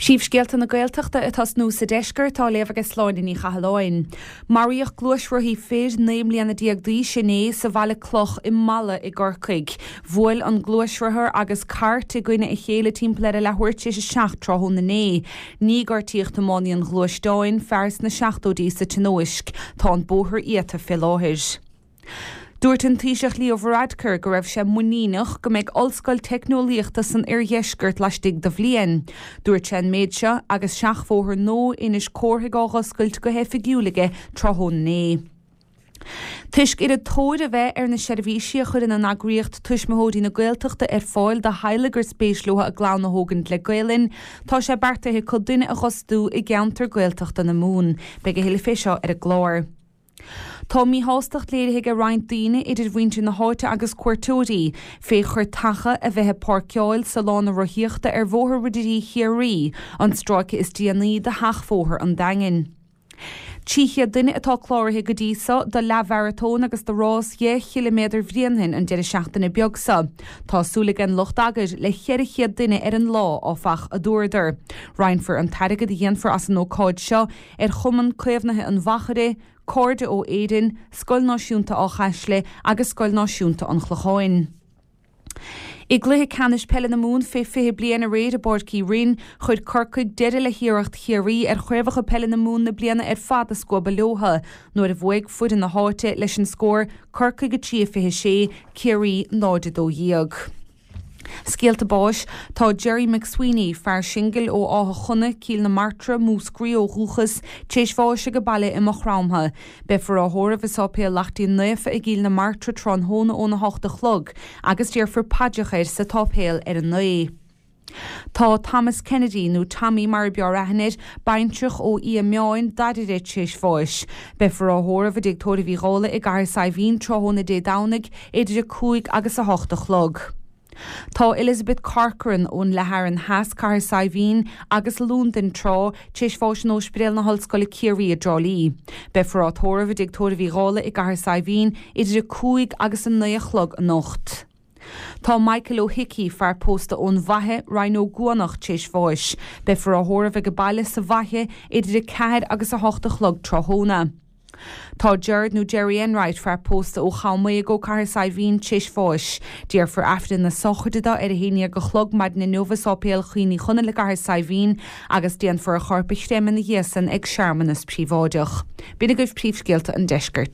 Príomhscéalta na Gaeltachta ag tosnú sa deisceart á léamh ag Sláine Ní Chathalláin. Maraíodh gluaisrothaí fir 19 mbliana d'aois inné sa Bhaile Cloch i Mala i gCorcaigh. Bhuail an gluaisrothar agus cairt i gcoinne a chéile timpeall ar a leathuair tar éis a 7 tráthnóna inné. Níor gortaíodh tiománaí an ghluaisteáin, fear sna seachtóidí, sa tionóisc. Tá an bóthar iata fé láthair. Dúirt an Taoiseach Leo Varadkar go raibh sé muiníneach go mbeidh ollscoil teicneolaíochta san oirdheisceart laistigh de bhliain. Dúirt sé an méid seo agus seachbhóthar nua Inis Córthaidh á dh'oscailt go hoifigiúil aige tráthnóna inné. Toisc oiread tóir a bheith ar na seirbhísí a chuireann an eagraíocht Tuismitheoirí na Gaeltachta ar fáil do theaghlaigh gur spéis leo a gclann a thógaint le Gaelainn, tá sé beartaithe acu duine a dh'fhostú i gceantar Gaeltachta na Mumhan. Beidh a thuilleadh fé seo ar an gclár. Tá míshástacht léirithe ag roinnt daoine, idir mhuintir na háite agus cuairteoirí, fé chreatacha a bheith ag páirceáil sa lána rothaíochta ar Bhóthar Ridirí Chiarraí, an stráice is déanaí de sheachbhóthar an Daingin. 300 duine atá cláraithe go dtí so do leathmharatón agus do rás dheich chiliméadar Bhréanainn an deireadh seachtaine beag so. Tá súil ag an lucht eagair le 400 duine ar an lá, áfach, a dúradar. Roinnfear an t-airgead a dhéanfar as an ócáid seo ar Chumann Caomhnaithe an Mhachaire, Cairde ó Éirinn, Scoil Náisiúnta Áth Caisle agus Scoil Náisiúnta an Chlocháin. I gcluiche ceannais peile na Mumhan fé 20 bliain aréir i bPáirc Uí Rinn, chuir Corcaigh deireadh le hiarracht Chiarraí ar chraobhacha peile na Mumhan na bliana ar fad a scuabadh leotha nuair a bhuaigh foireann na háite leis an scór Corcaigh 3, 26, Ciarraí 0, 12. Scéalta báis, Tá Gerry McSweeney, fear singil ó Áth Chona, Cill na Martra, Múscraí ó dhúchas, tar éis bháis age baile i Maigh Chromtha. Beifear á thórramh i Sáipéal Laichtín Naofa i gCill na Martra tráthnóna óna hocht a chlog agus déarfar paidreacha air sa tsáipéal ar a naoi. Tá Thomas Kennedy, nó Tommy mar a b'fhearr aithne air, baintreach ó Fhia Meáin, Dairbhre, tar éis bháis. Beifear á thórramh i dTigh Tórraimh Uí Dhálaigh i gCathair Saidhbhín tráthnóna Dé Domhnaigh idir 5 agus 8 a chlog. Tá Elizabeth Corcoran ón Leath Fhearann Theas, Cathair Saidhbhín, agus Londain tráth, tar éis bháis in Ospidéal na hOllscoile Ciarraí i dTrá Lí. Beifear á tórramh i dTigh Tórraimh Uí Dhálaigh i gCathair Saidhbhín idir 5 agus 9 a chlog anocht. Tá Michael Ó hIcí, fear pósta ón bhFaiche, Rinn Ó gCuanach, tar éis bháis. Beifear á thórramh age baile sa bhFaiche idir 4 agus 8 a chlog tráthnóna. Tá Gerard nó Gerry Enright, fear pósta ó Cham Maigh Eo, Cathair Saidhbhín, tar éis bháis. Déarfar Aifreann na sochraide dó ar a haon dhéag a chlog maidin inniu i Sáipéal Chaoin Uí Chonaill i gCathair Saidhbhín agus déanfar a chorp a chreimeadh ina dhiaidh san ag searmanas príobháideach. B'in agaibh príomhscéalta an deiscirt.